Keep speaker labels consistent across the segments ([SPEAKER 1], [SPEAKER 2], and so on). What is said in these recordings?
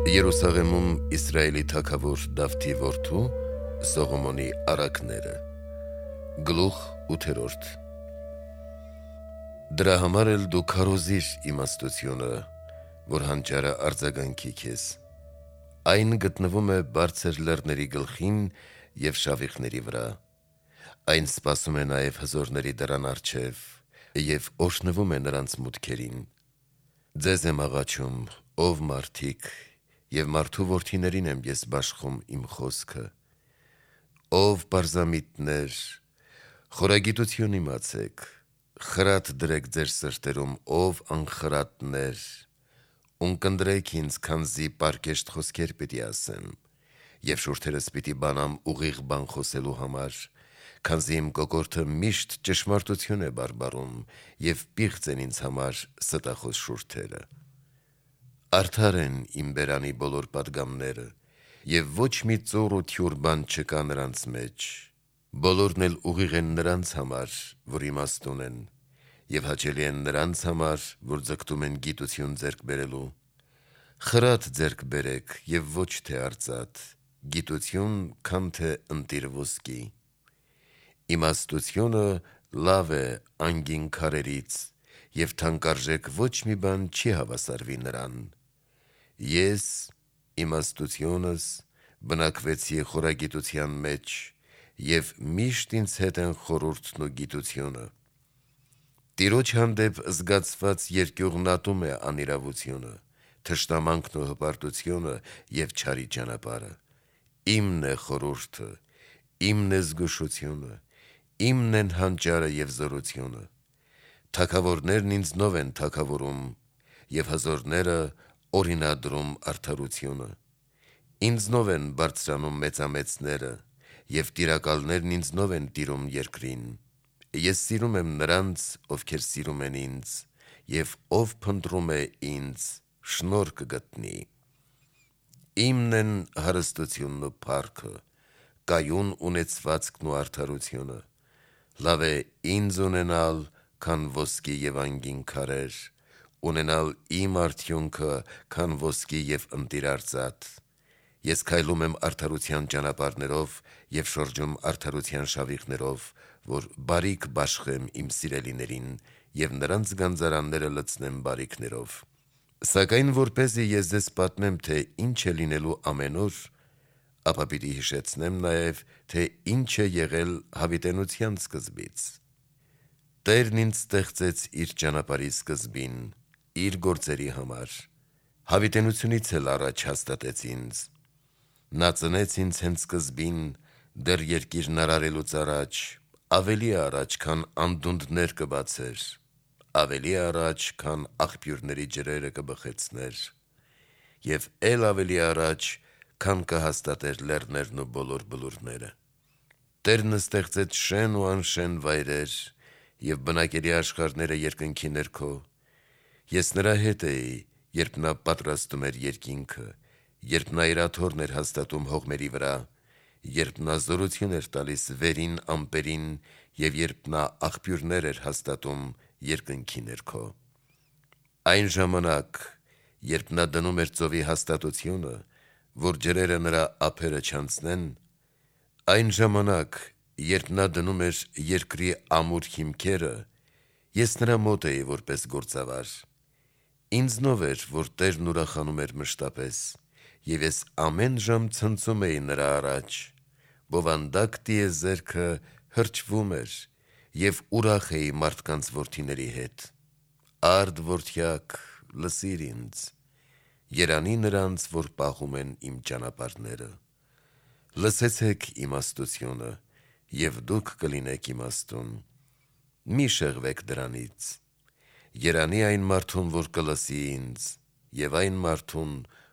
[SPEAKER 1] Երուսաղեմում Իսրայելի թագավոր Դավթի որդու Սողոմոնի առակները Գլուխ 8 Դրա համար էլ դու քարոզիր իմաստությունը, որ հանճարը արձագանքի քեզ։ Այն գտնվում է բարձր լեռների գլխին և շավիղների վրա։ Այն սպասում է նաև հզորների դռան առջև և օրհնվում է նրանց մուտքերին։ Ձեզ եմ աղաչում, ով մարդիկ, և մարդու որդիներին եմ ես բաշխում իմ խոսքը։ Ով պարզամիտներ, խորագիտություն իմացեք, խրատ դրեք ձեր սրտերում, ով անխրատներ, ունկնդրեք ինձ, քանզի պարկեշտ խոսքեր պիտի ասեմ, և շուրթերս պիտի բանամ ուղիղ բան խոսելու համար, քանզի իմ կոկորդը միշտ ճշմարտություն է բարբառում, և պիղծ են ինձ համար ստախոս շուրթերը։ Արդար են իմ բերանի բոլոր պատգամները, և ոչ մի ծուռ ու թյուր բան չկա նրանց մեջ, բոլորն էլ ուղիղ են նրանց համար, որ իմաստուն են, և հաճելի են նրանց համար, որ ձգտում են գիտություն ձեռք բերելու։ Խրատ ձեռք բերեք և ոչ թե արծաթ, գիտություն, քան թե ընտիր ոսկի։ Իմաստությունը լավ է անգին քարերից, և թանկարժեք ոչ մի բան չի հավասարվի նրան։ Ես իմաստությունս բնակվեցի խորագիտության մեջ, և միշտ ինձ հետ են խորհուրդն ու գիտությունը։ Տիրոջ հանդեպ զգացված երկյուղն ատում է անիրավությունը, թշնամանքն ու հպարտությունը և չարի ճանապարհը։ Իմն է խորհուրդը, իմն է զգուշությունը, իմն են հանճարը և զորությունը։ Թագավորներն ինձնով են թագավորում, և հզորները օրինադրում արդարությունը։ Ինձնով են բարձրանում մեծամեծները, և տիրակալներն ինձնով են տիրում երկրին։ Ես սիրում եմ նրանց, ովքեր սիրում են ինձ, և ով փնտրում է ինձ, շնորհ կգտնի։ Իմն են հարստությունն ու փառքը, կայուն ունեցվածքն ու արդարությունը։ Լավ է ինձ ունենալ, քան ոսկի և անգին քարեր, ունենալ իմ արդյունքը, քան ոսկի և ընտիր արծաթ։ Ես քայլում եմ արդարության ճանապարհներով և շրջում արդարության շավիղներով, որ բարիք բաշխեմ իմ սիրելիներին և նրանց գանձարանները լցնեմ բարիքներով։ Սակայն որպեսզի ես ձեզ պատմեմ, թե ինչ է լինելու ամեն օր, ապա պիտի հիշեցնեմ նաև, թե ինչ է եղել հավիտենության սկզբից։ Տերն ինձ ստեղծեց իր ճանապարհի սկզբին, իր գործերի համար, հավիտենությունից էլ առաջ հաստատեց ինձ։ Նա ծնեց ինձ հենց սկզբին, դեռ երկիրն արարելուց առաջ, ավելի առաջ, քան անդունդներ կբացեր, ավելի առաջ, քան աղբյուրների ջրերը կբխեցներ, և էլ ավելի առաջ, քան կհաստատեր լեռներն ու բոլոր բլուրները։ Տերն ստեղծեց շեն ու անշեն վայրեր և բնակելի աշխարհները երկնքի ներքո։ Ես նրա հետ էի, երբ նա պատրաստում էր երկինքը, երբ նա իր աթոռն էր հաստատում հողմերի վրա, երբ նա զորություն էր տալիս վերին ամպերին և երբ նա աղբյուրներ էր հաստատում երկնքի ներքո։ Այն ժամանակ, երբ նա դնում էր ծովի հաստատությունը, որ ջրերը նրա ափերը չանցնեն, այն ժամանակ, երբ նա դնում էր երկրի ամուր հիմքերը, ես նրա մոտ էի որպես գործավար։ Ինձնով էր, որ Տերն ուրախանում էր մշտապես, և ես ամեն ժամ ցնծում էի նրա առաջ, բովանդակ տիեզերքը հրճվում էր, և ուրախ էի մարդկանց որդիների հետ։ Արդ որդյակ, լսիր ինձ, երանի նրանց, որ պահում են իմ ճանապարհները։ Լսեցեք իմաստությունը, և դուք կլինեք իմաստուն։ Մի շեղվեք դրանից։ Երանի այն մարդուն, որ կլսի ինձ, և այն մարդուն,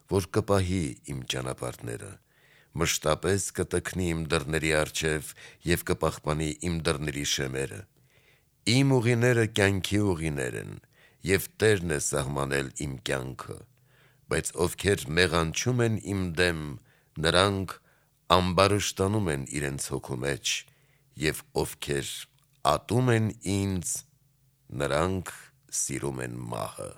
[SPEAKER 1] որ կպահի իմ ճանապարհները, մշտապես կտքնի իմ դռների առջև և կպահպանի իմ դռների շեմերը։ Իմ ուղիները կյանքի ուղիներ են, և Տերն է սահմանել իմ կյանքը, բայց ովքեր մեղանչում են իմ դեմ, նրանք ամբարշտանում են իրենց հոգու մեջ, և ովքեր ատում են ինձ, նրանք սիրում են մահը։